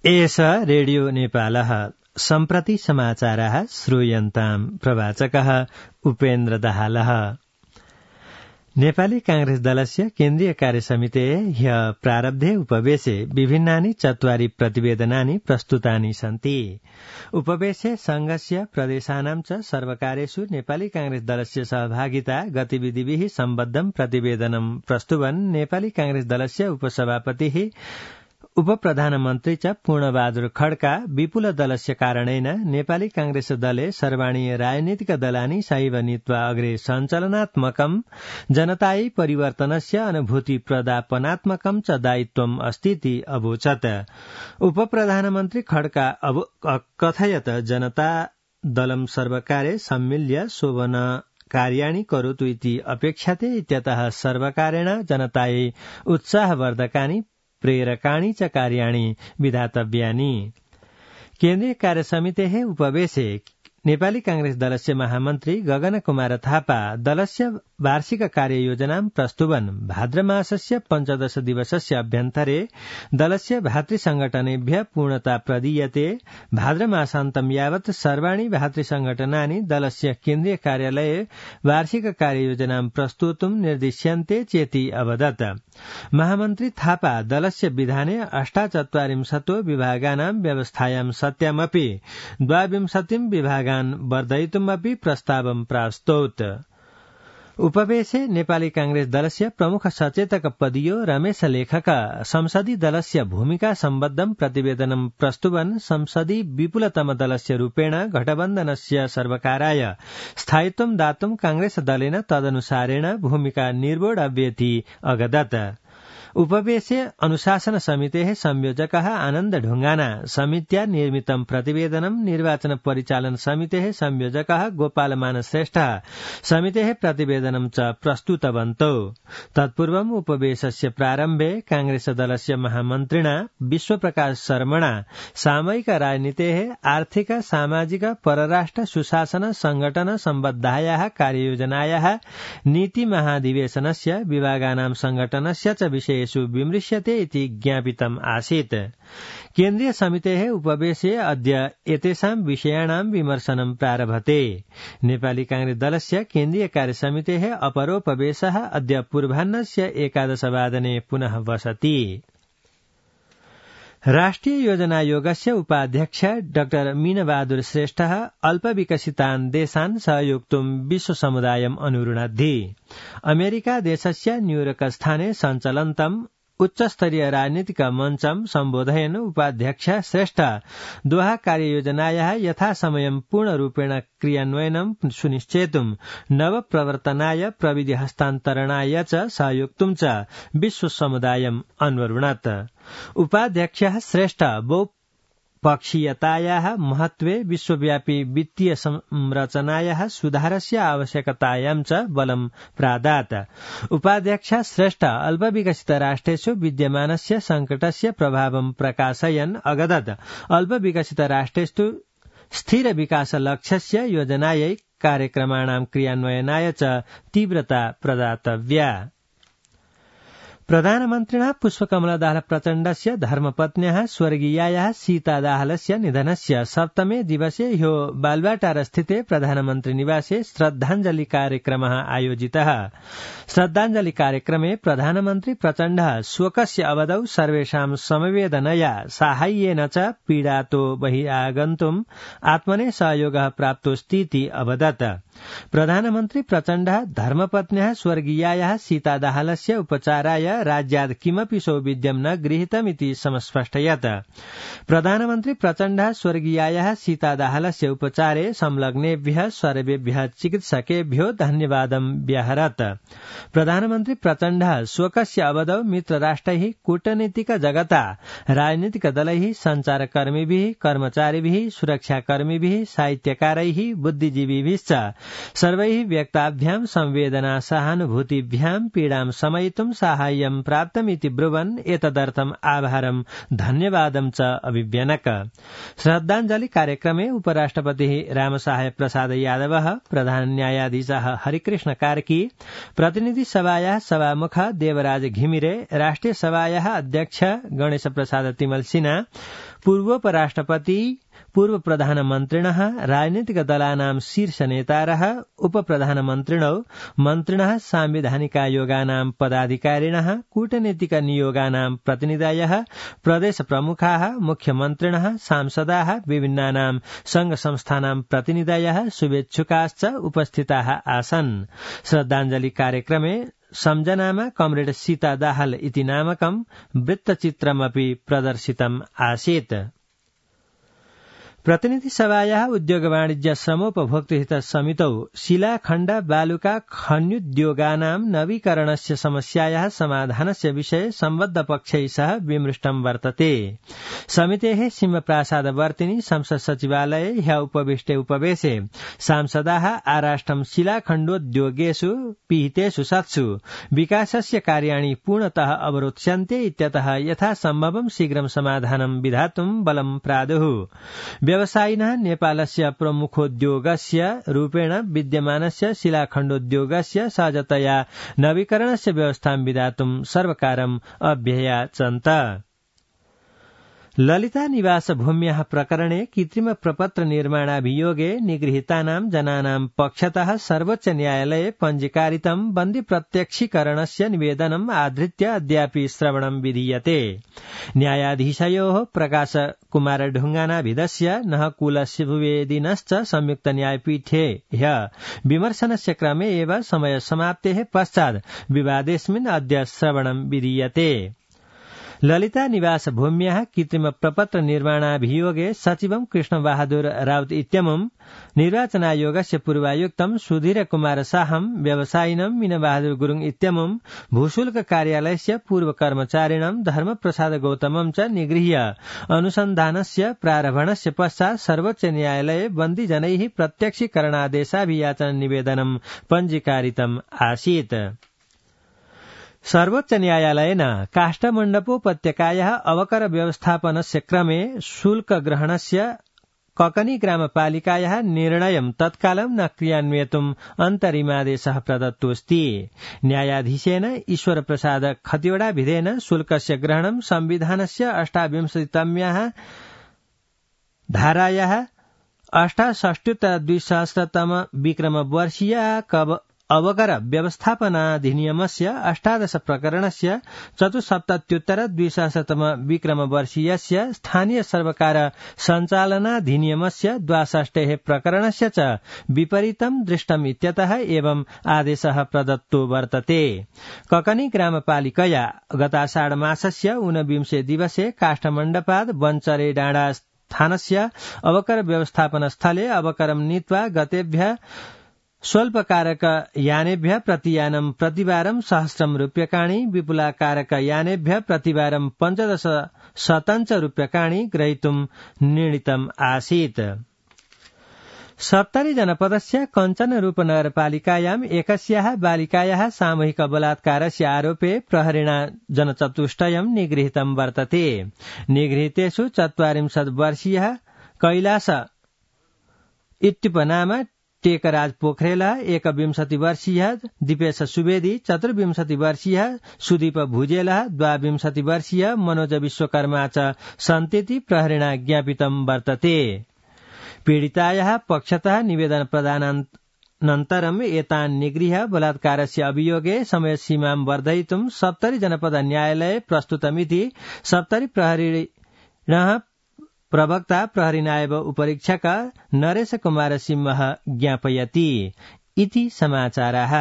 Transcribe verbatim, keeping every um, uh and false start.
एष रेडियो नेपालः सम्प्रति समाचारः श्रूयन्ताम् प्रवाचकः उपेन्द्र दाहालः। नेपाली कांग्रेस दलस्य केन्द्रीय कार्यसमितेः ह्यः प्रारब्धे उपवेशे विभिन्नानि चत्वारि प्रतिवेदनानि प्रस्तुतानि सन्ति। उपवेशे संघस्य प्रदेशानां च सर्वकारेषु नेपाली कांग्रेस दलस्य सहभागिता गतिविधिभिः सम्बद्धं प्रतिवेदनं प्रस्तुवन् नेपाली कांग्रेस दलस्य उपसभापतिः उपप्रधानमन्त्री च पूर्णबहादुर खड्का विपुल दलस्य कारणेन नेपाली कांग्रेस दले सर्वाणि राजनीतिक दलानि सैव नीत्वा अग्रे सञ्चलनात्मकं जनतायै परिवर्तनस्य अनुभूति प्रदापनात्मकं च दायित्वम् अस्तीति अवोचत्। उपप्रधानमन्त्री खड्का कथयत् जनता दलं सर्वकारे सम्मिल्य शोभन कार्याणि करोतु इति अपेक्षते इत्यतः सर्वकारेण जनतायै उत्साहवर्धकानि प्रेरकाणि च कार्याणि विधातव्यानि। केन्द्रीय कार्यसमितेः उपवेशे नेपाली कांग्रेस दलस्य महामन्त्री गगन कुमार थापा दलस्य वार्षिक कार्ययोजनां प्रस्तुवन् भाद्रमासस्य पञ्चदश दिवसस्य अभ्यन्तरे दलस्य भातृसंघटनेभ्यः पूर्णता प्रदीयते। भाद्रमासान्तं यावत् सर्वाणि भातृसंघटनानि दलस्य केन्द्रीय कार्यालये वार्षिक कार्ययोजनां प्रस्तोतुं निर्दिश्यन्ते चेति अवदत्। महामन्त्री थापा दलस्य विधाने अष्टाचत्वारिंशतो विभागानां व्यवस्थायां सत्यामपि द्वाविंशतिं विभागान् वर्धयितुमपि प्रस्तावं प्रास्तौत्। उपवेशे नेपाली कांग्रेस दलस्य प्रमुख सचेतक पदीयो रमेश लेखक संसदीय दलस्य भूमिका सम्बद्धं प्रतिवेदनं प्रस्तुवन् संसदीय विपुलतम दलस्य रूपेण गठबन्धनस्य सर्वकाराय स्थायित्वं दातुं कांग्रेस दलेन तदनुसारेण भूमिका निर्वोढव्येति अगदत्। उपवेशे अनुशासन समितेः संयोजकः आनन्द ढुंगाना समित्या निर्मितं प्रतिवेदनं निर्वाचन परिचालन समितेः संयोजकः गोपाल मान श्रेष्ठः समितेः प्रतिवेदनं च प्रस्तुतवन्तौ। तत्पूर्वम् उपवेशस्य प्रारम्भे कांग्रेस दलस्य महामन्त्रिणा विश्वप्रकाश शर्मणा सामयिक राजनीतेः आर्थिक सामाजिक परराष्ट्र सुशासन संगठन सम्बद्धायाः कार्ययोजनायाः नीति महाधिवेशनस्य विभागानां संगठनस्य च विषय विमृश्यते इति ज्ञापितम् आसीत्। केन्द्रीय समितेः उपवेशे अद्य एतेषां विषयाणां विमर्शनं प्रारभते। नेपाली कांग्रेस दलस्य केन्द्रीय कार्यसमितेः अपरोपवेशः अद्य पूर्वाह्नस्य एकादशवादने पुनः वसति। राष्ट्रिय योजनायोगस्य उपाध्यक्ष डाक्टर मीनबहादुर श्रेष्ठः अल्पविकसितान् देशान् सहयोक्तुं विश्वसमुदायम् अनुरुणद्धि। अमेरिका देशस्य न्यूयॉर्क स्थाने सञ्चलन्तम् उच्चस्तरीय राजनीतिक मञ्चं सम्बोधयन् उपाध्यक्ष श्रेष्ठ दोहा कार्ययोजनायाः यथासमयं पूर्णरूपेण क्रियान्वयनं सुनिश्चेतुं नवप्रवर्तनाय प्रविधि हस्तान्तरणाय च सहयोक्तुं च विश्वसमुदायम् अन्वरुणत्। उपाध्यक्षः श्रेष्ठ बहुपक्षीयतायाः महत्त्वे विश्वव्यापी वित्तीय संरचनायाः सुधारस्य आवश्यकतायां च बलं प्रादात्। उपाध्यक्ष श्रेष्ठ अल्पविकसित राष्ट्रेषु विद्यमानस्य संकटस्य प्रभावं प्रकाशयन् अगदत् अल्पविकसित राष्ट्रेषु स्थिर विकास लक्ष्यस्य योजनायै कार्यक्रमाणां क्रियान्वयनाय च तीव्रता प्रदातव्या। प्रधानमन्त्रिणा पुष्पकमल दाहाल प्रचण्डस्य धर्मपत्न्याः स्वर्गीयायाः सीता दाहालस्य निधनस्य सप्तमे दिवसे ह्यो बालुवाटार स्थिते प्रधानमन्त्री निवासे श्रद्धाञ्जलि कार्यक्रमः आयोजितः। श्रद्धाञ्जलि कार्यक्रमे प्रधानमन्त्री प्रचण्डः शोकस्य अवधौ सर्वेषां समवेदनया साहाय्येन च पीडातो बहिरागन्तुम् आत्मने सहयोगः प्राप्तोऽस्तीति अवदत्। प्रधानमन्त्री प्रचण्डः धर्मपत्न्याः स्वर्गीयायाः सीता दाहालस्य उपचाराय राज्यात् किमपि सौविध्यं न गृहीतमिति समस्पष्टयत्। प्रधानमन्त्री प्रचण्डः स्वर्गीयायाः सीता दाहालस्य उपचारे संलग्नेभ्यः सर्वेभ्यः चिकित्सकेभ्यो धन्यवादं व्याहरत्। प्रधानमन्त्री प्रचण्डः शोकस्य अवधौ मित्रराष्ट्रैः कूटनीतिक जगता राजनीतिक दलैः सञ्चारकर्मिभिः कर्मचारिभिः सुरक्षाकर्मिभिः साहित्यकारैः बुद्धिजीविभिश्च सर्वैः व्यक्ताभ्यां संवेदना सहानुभूतिभ्यां पीडां शमयितुं साहाय्यं साहाय्यं प्राप्तमिति ब्रुवन् एतदर्थम् आभारं धन्यवादं च अभिव्यनक। श्रद्धाञ्जलि कार्यक्रमे उपराष्ट्रपतिः रामसहाय प्रसाद यादवः, प्रधान न्यायाधीशः हरिकृष्ण कार्की, प्रतिनिधि सभायाः सभामुख देवराज घिमिरे, राष्ट्रिय सभायाः अध्यक्ष गणेश प्रसाद तिमल सिन्हा, पूर्वोपराष्ट्रपति, पूर्व प्रधानमन्त्रिणः, राजनीतिक दलानां शीर्ष नेतारः, उपप्रधानमन्त्रिणौ, मन्त्रिणः, सांविधानिकायोगानां पदाधिकारिणः, कूटनीतिक नियोगानां प्रतिनिधयः, प्रदेश प्रमुखाः, मुख्यमन्त्रिणः, सांसदाः, विभिन्नानां संघ संस्थानां प्रतिनिधयः, शुभेच्छुकाश्च उपस्थिताः आसन्। श्रद्धाञ्जलि कार्यक्रमे संजनामा कमरेड सीता दाहाल इति नामकं वृत्तचित्रमपि प्रदर्शितम् आसीत्। प्रतिनिधि सभायाः उद्योग वाणिज्य श्रमोपभोक्तृहित समितौ शिलाखण्ड बालुका खन्युद्योगानां नवीकरणस्य समस्यायाः समाधानस्य विषये सम्बद्ध पक्षैः सह विमृष्टं वर्तते। समितेः सिंहप्रासादवर्तिनी संसद सचिवालये ह्य उपविष्टे उपवेशे सांसदाः आराष्ट्रं शिलाखण्डोद्योगेषु पिहितेषु सत्सु विकासस्य कार्याणि पूर्णतः अवरोध्स्यन्ते इत्यतः यथासम्भवं शीघ्रं समाधानं विधातुं बलं प्रादुः। व्यवसायिनः नेपालस्य प्रमुखोद्योगस्य रूपेण विद्यमानस्य शिलाखण्डोद्योगस्य सहजतया नवीकरणस्य व्यवस्थां विधातुं सर्वकारम् अभ्ययाचन्त। ललिता निवास भूम्याः प्रकरणे कृत्रिम प्रपत्र निर्माणाभियोगे निगृहीतानां जनानां पक्षतः सर्वोच्च न्यायालये पञ्जीकारितं बन्दी प्रत्यक्षीकरणस्य निवेदनम् आधृत्य अद्यापि श्रवणं विधीयते। न्यायाधीशयोः प्रकाश कुमार ढुङ्गानाभिधस्य नहकुल शिववेदिनश्च संयुक्त न्यायपीठे ह्य विमर्शनस्य क्रमे एव समय समाप्तेः पश्चात् विवादेऽस्मिन् अद्य श्रवणं विधीयते। ललिता निवास भूम्याः कृत्रिम प्रपत्र निर्माणाभियोगे सचिवं कृष्ण बहादुर राउत इत्यमुं निर्वाचनायोगस्य पूर्वायुक्तं सुधीर कुमार साहं व्यवसायिनं मीन बहादुर गुरुङ इत्यमुं भूशुल्क कार्यालयस्य पूर्व कर्मचारिणं धर्मप्रसाद गौतमं च निगृह्य अनुसन्धानस्य प्रारम्भणस्य पश्चात् सर्वोच्च न्यायालये बन्दिजनैः प्रत्यक्षीकरणादेशाभियाचन निवेदनं पञ्जीकारितम् आसीत्। सर्वोच्च न्यायालयेन काष्ठमण्डपोपत्यकायाः अवकर व्यवस्थापनस्य क्रमे शुल्क ग्रहणस्य ककनी ग्रामपालिकायाः निर्णयं तत्कालं न क्रियान्वयितुम् अन्तरिमादेशः प्रदत्तोऽस्ति। न्यायाधीशेन ईश्वर प्रसाद खतिवड़ाभिधेन शुल्कस्य ग्रहणं संविधानस्य अष्टाविंशतितम्याः धारायाः अष्टाषष्ट्युत्तर द्विसहस्रतम विक्रमवर्षीय अवकर व्यवस्थापनाधिनियमस्य अष्टादश प्रकरणस्य चतुस्सप्तत्युत्तर द्विसहस्रतम विक्रमवर्षीयस्य स्थानीय सर्वकार सञ्चालनाधिनियमस्य द्वाषष्टेः प्रकरणस्य च विपरीतं दृष्टम् इत्यतः एवं आदेशः प्रदत्तो वर्तते। ककनी ग्रामपालिकया गताषाढ मासस्य ऊनविंशे दिवसे काष्ठमण्डपाद वनचरे डाँडा स्थानस्य अवकर व्यवस्थापन स्थले अवकरं नीत्वा गतेभ्य स्वल्पकारक यानेभ्य प्रतियानं प्रतिवारं सहस्रं रूप्यकाणि विपुलाकारक यानेभ्य प्रतिवारं पञ्चदश शतञ्च रूप्यकाणि ग्रहीतुं निर्णीतम् आसीत्। सप्तरी जनपदस्य कञ्चनरूप नगरपालिकायाम् एकस्याः बालिकायाः सामूहिक बलात्कारस्य आरोपे प्रहरिणा जनचतुष्टयं निगृहीतं वर्तते। निगृहीतेषु चत्वारिंशत् वर्षीयः कैलास इत्युपनाम टेकराज पोखरेल, एकविंशति वर्षीयः दीपेश सुवेदी, चतुर्विंशति वर्षीयः सुदीप भुजेल, द्वाविंशति वर्षीय मनोज विश्वकर्मा च सन्तीति प्रहरिणा ज्ञापितं वर्तते। पीडितायाः पक्षतः निवेदन प्रदानानन्तरम् एतान् निगृह्य बलात्कारस्य अभियोगे समयसीमां वर्धयितुं सप्तरी जनपद न्यायालये प्रस्तुतमिति सप्तरी प्रहरिणः प्रवक्ता प्रहरी नायब उपरीक्षक नरेश कुमार सिंह ज्ञापयति इति समाचारः।